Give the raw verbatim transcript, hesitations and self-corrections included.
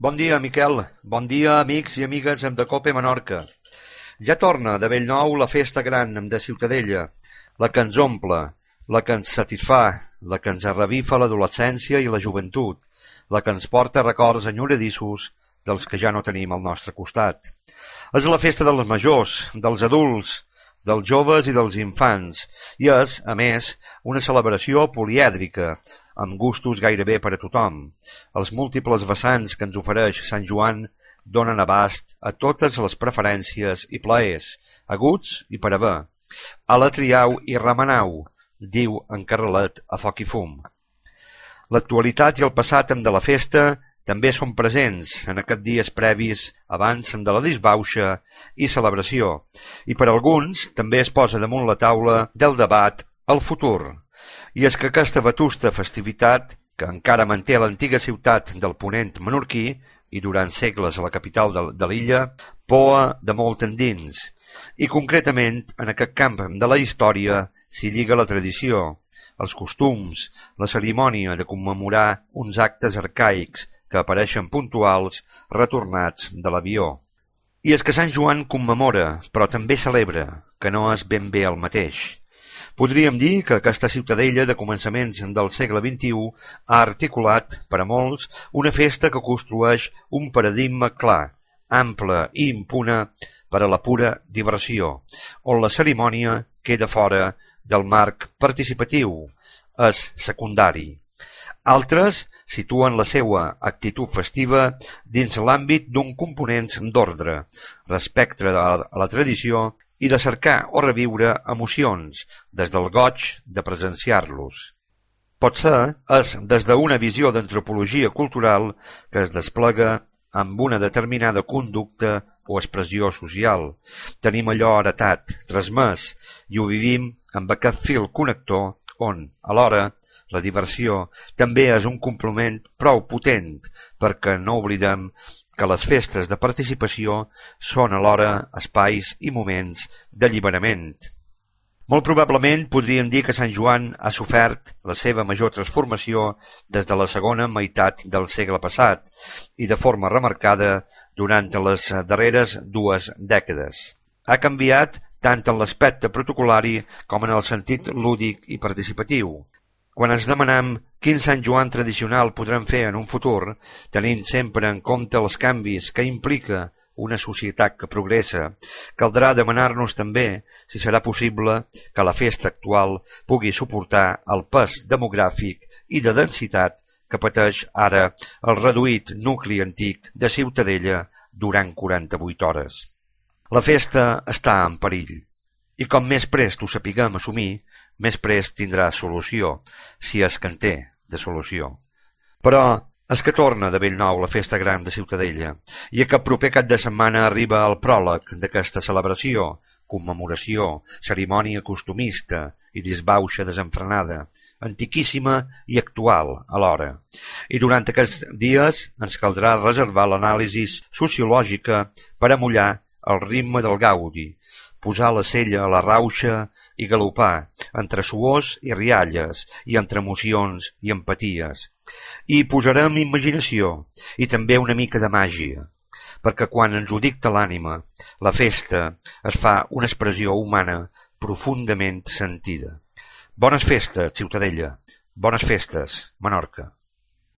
Bon dia, Miquel. Bon dia, amics i amigues de Cope Menorca. Ja torna de bell nou la festa gran de Ciutadella, la que ens omple, la que ens satisfà, la que ens revifa l'adolescència i la joventut, la que ens porta records enyoradissos dels que ja no tenim al nostre costat. És la festa dels majors, dels adults, dels joves i dels infants, i és, a més, una celebració polièdrica, amb gustos gairebé per a tothom. Els múltiples vessants que ens ofereix Sant Joan donen abast a totes les preferències i plaers, aguts i per haver. A la triau i remenau, diu en Carrelet a Foc i Fum. L'actualitat i el passat de la festa també són presents en aquests dies previs abans de la disbauxa i celebració, i per alguns també es posa damunt la taula del debat el futur. I és que aquesta vetusta festivitat, que encara manté l'antiga ciutat del Ponent menorquí i durant segles a la capital de, de l'illa, poa de molt endins, i concretament en aquest camp de la història s'hi lliga la tradició, els costums, la cerimònia de commemorar uns actes arcaics que apareixen puntuals retornats de l'avió. I és que Sant Joan commemora, però també celebra, que no és ben bé el mateix. Podríem dir que aquesta ciutadella de començaments del segle vint-i-u ha articulat, per a molts, una festa que construeix un paradigma clar, ample i impune per a la pura diversió, on la cerimònia queda fora del marc participatiu, és secundari. Altres situen la seva actitud festiva dins l'àmbit d'un component d'ordre, respecte a la tradició i de cercar o reviure emocions, des del goig de presenciar-los. Potser és des d'una visió d'antropologia cultural que es desplega amb una determinada conducta o expressió social. Tenim allò heretat, transmès, i ho vivim amb aquest fil connector on, alhora, la diversió també és un complement prou potent perquè no oblidem que les festes de participació són alhora espais i moments d'alliberament. Molt probablement podríem dir que Sant Joan ha sofert la seva major transformació des de la segona meitat del segle passat i de forma remarcada durant les darreres dues dècades. Ha canviat tant en l'aspecte protocolari com en el sentit lúdic i participatiu. Quan ens demanem quin Sant Joan tradicional podrem fer en un futur, tenint sempre en compte els canvis que implica una societat que progressa, caldrà demanar-nos també si serà possible que la festa actual pugui suportar el pes demogràfic i de densitat que pateix ara el reduït nucli antic de Ciutadella durant quaranta-vuit hores. La festa està en perill, i com més prest ho sapiguem assumir, més prest tindrà solució, si és que en té de solució. Però és que torna de bell nou la festa gran de Ciutadella, i aquest proper cap de setmana arriba el pròleg d'aquesta celebració, commemoració, cerimònia costumista i disbauxa desenfrenada, antiquíssima i actual alhora. I durant aquests dies ens caldrà reservar l'anàlisi sociològica per amollar el ritme del gaudi, posar la sella a la rauxa i galopar, entre suors i rialles, i entre emocions i empaties. I posarem imaginació, i també una mica de màgia, perquè quan ens ho dicta l'ànima, la festa es fa una expressió humana profundament sentida. Bones festes, Ciutadella. Bones festes, Menorca.